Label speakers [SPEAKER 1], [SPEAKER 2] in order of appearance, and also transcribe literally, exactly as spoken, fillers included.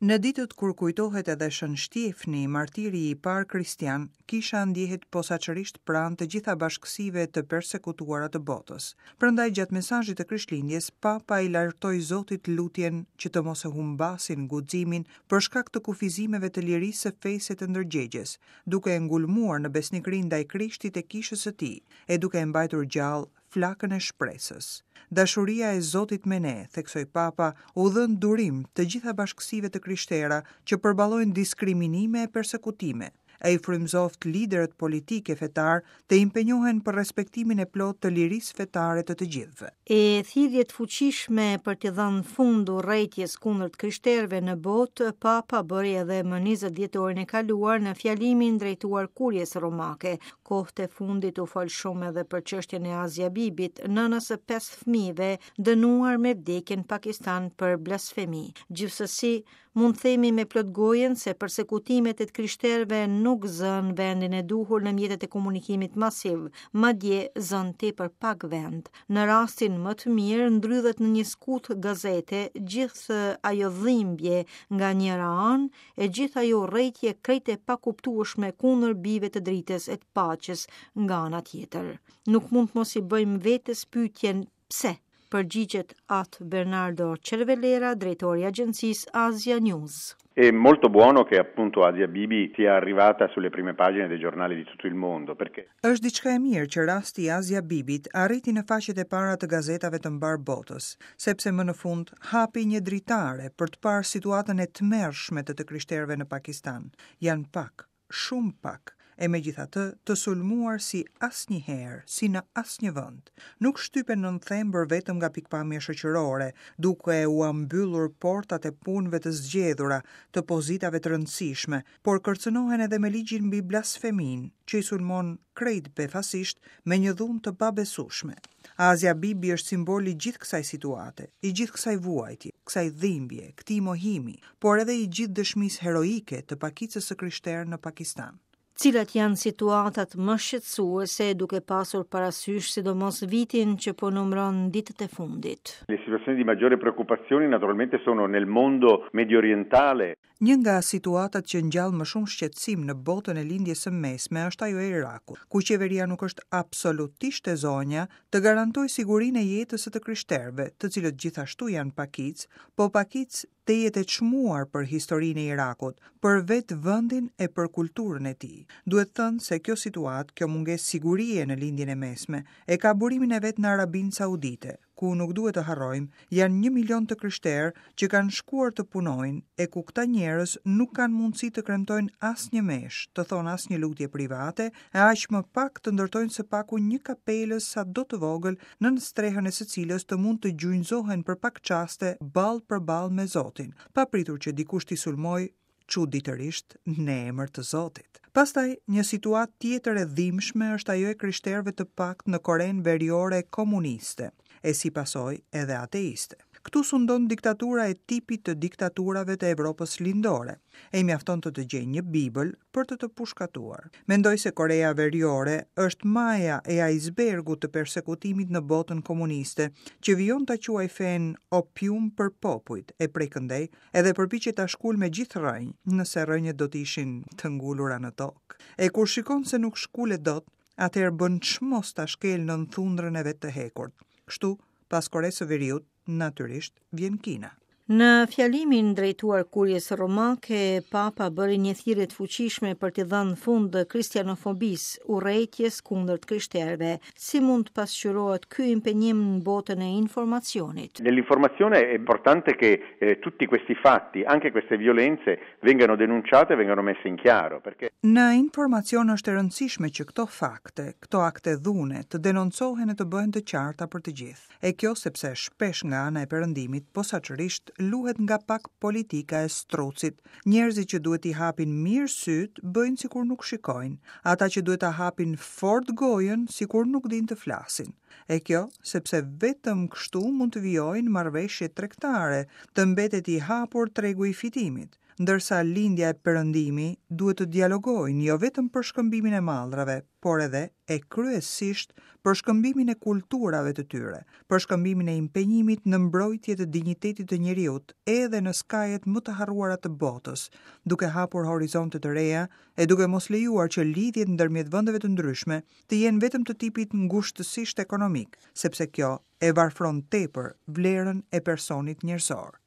[SPEAKER 1] Në ditët kur kujtohet edhe Shën Shtjefni, martiri i parë kristian, kisha ndjehet posaçërisht pranë të gjitha bashkësive të persekutuara të botës. Prandaj gjatë mesazhit të Krishtlindjes, Papa i lartoi Zotit lutjen që të mos e humbasin guximin për shkak të kufizimeve të lirisë së fesë e të ndërgjegjes, duke e ngulmuar në besnikërinë ndaj Krishtit e kishës së tij, e duke e mbajtur gjallë flakën e shpresës. Dashuria e Zotit me ne, theksoi Papa, u dhëntë durim të gjitha bashkësive të krishtera që përballojnë diskriminime e persekutime, e i frymëzoftë liderët politikë e fetar të impenjohen për respektimin e plotë të lirisë fetare të të gjithëve.
[SPEAKER 2] E thirrje të fuqishme për t'i dhënë fund urrejtjes kundër të krishterëve në botë, Papa bëri edhe më njëzet dhjetorin e kaluar në fjalimin drejtuar Kuries Romake. Kohët e fundit u fol shumë edhe për çështjen e Azia Bibit, nënës së pesë fëmijëve, dënuar me vdekje në Pakistan për blasfemi. Gjithsesi, mund të themi me plot gojën se persekutimet e të krishterëve nuk zënë vendin e duhur në mjetet e komunikimit masiv, madje zënë tepër pak vend. Në rastin më të mirë ndrydhet në një skutë gazete gjithë ajo dhimbje nga njëra anë e gjithë ajo urrejtje krejt e pakuptueshme kundër bijve të dritës e të paqes nga ana tjetër. Nuk mund të mos i bëjmë vetes pyetjen pse? Përgjigjet At Bernardo Cervellera, drejtori i agjencisë Asia News.
[SPEAKER 3] È molto buono che appunto Asia Bibi sia arrivata sulle prime pagine dei giornali di tutto il mondo, perché
[SPEAKER 1] Është diçka e mirë që rasti i Asia Bibit arriti në faqet e para të gazetave të mbar botës, sepse më në fund hapi një dritare për të parë situatën e tmerrshme të të krishterëve në Pakistan. Janë pak, shumë pak, e megjithatë të sulmuar si asnjëherë, si në asnjë vend. Nuk shtypen nën thembër vetëm nga pikpamja shoqërore, duke ua mbyllur portat e punëve të zgjedhura, të pozitave të rëndësishme, por kërcënohen edhe me ligjin mbi blasfeminë, që i sulmon krejt befasisht me një dhunë të pabesueshme. Asia Bibi është simboli i gjithë kësaj situate, i gjithë kësaj vuajtje, kësaj dhimbje, këtij mohimi, por edhe i gjithë dëshmisë heroike të pakicës së krishterë në Pakistan.
[SPEAKER 2] Cilat janë situatat më shqetësuese duke pasur parasysh sidomos vitin që po numëron ditët e fundit?
[SPEAKER 3] Le situazioni di maggiore preoccupazione naturalmente sono nel mondo mediorientale.
[SPEAKER 1] Një nga situatat që ngjall më shumë shqetësim në botën e lindjes së mesme është ajo e Irakut, ku qeveria nuk është absolutisht e zonja të garantojë sigurinë e jetës së të krishterëve, të cilët gjithashtu janë pakicë, po pakicë tejet e çmuar për historinë e Irakut, për vetë vendin e për kulturën e tij. Duhet thënë se kjo situatë, kjo mungesë sigurie në lindjen e mesme, e ka burimin e vet në Arabinë Saudite, ku nuk duhet të harrojmë, janë një milion të krishterë që kanë shkuar të punojnë e ku këta njerëz nuk kanë mundësi të kremtojnë asnjë meshë, të thonë asnjë lutje private, e aq më pak të ndërtojnë së paku një kapelë sa do të vogël nën strehën e së cilës të mund të gjunjëzohen për pak çaste ball për ball me Zotin, pa pritur që dikush t'i sulmojë çuditërisht në emër të Zotit. Pastaj, një situatë tjetër e dhimbshme është ajo e krishterëve të paktë në Korenë Veriore komuniste, e si pasojë edhe ateiste. Këtu sundon diktatura e tipit të diktaturave të Evropës Lindore, e mjafton të të gjejë një Bibël për të të pushkatuar. Mendoj se Korea Veriore është maja e icebergut të persekutimit në botën komuniste, që vijon ta quaj fenë opium për popujt, e prej këndej edhe përpiqet ta shkul me gjithë rrënjë, nëse rrënjët do të ishin të ngulura në tokë. E kur shikon se nuk shkulet dot, atëherë bën çmos ta shkel nën thundrën e vet të hekurt. Kështu, pas Koresë së Veriut, natyrisht, vjen Kina.
[SPEAKER 2] Në fjalimin drejtuar Kuries Romake, Papa bëri një thirrje të fuqishme për t'i dhënë fund kristianofobisë, urrejtjes kundër të krishterëve. Si mund të pasqyrohet ky impenjim në botën e informacionit?
[SPEAKER 3] Nell'informazione è importante che, eh, tutti questi fatti, anche queste violenze, vengano denunciate e vengano messe in chiaro, perché
[SPEAKER 1] Në informacion është e rëndësishme që këto fakte, këto akte dhune të denoncohen e të bëhen të qarta për të gjithë. E kjo sepse shpesh nga ana e perëndimit posaçërisht luhet nga pak politika e strucit. Njerëzit që duhet t'i hapin mirë syt bëjnë sikur nuk shikojnë, ata që duhet ta hapin fort gojën sikur nuk dinë të flasin. E kjo sepse vetëm kështu mund të vijojnë marrëveshje tregtare, të mbetet i hapur tregu i fitimit. Ndërsa Lindja e Perëndimi duhet të dialogojnë jo vetëm për shkëmbimin e mallrave, por edhe e kryesisht për shkëmbimin e kulturave të tyre, për shkëmbimin e impenjimit në mbrojtje të dinjitetit të njeriut edhe në skajet më të harruara të botës, duke hapur horizonte të reja e duke mos lejuar që lidhjet ndërmjet vendeve të ndryshme të jenë vetëm të tipit ngushtësisht ekonomik, sepse kjo e varfron tepër vlerën e personit njerëzor.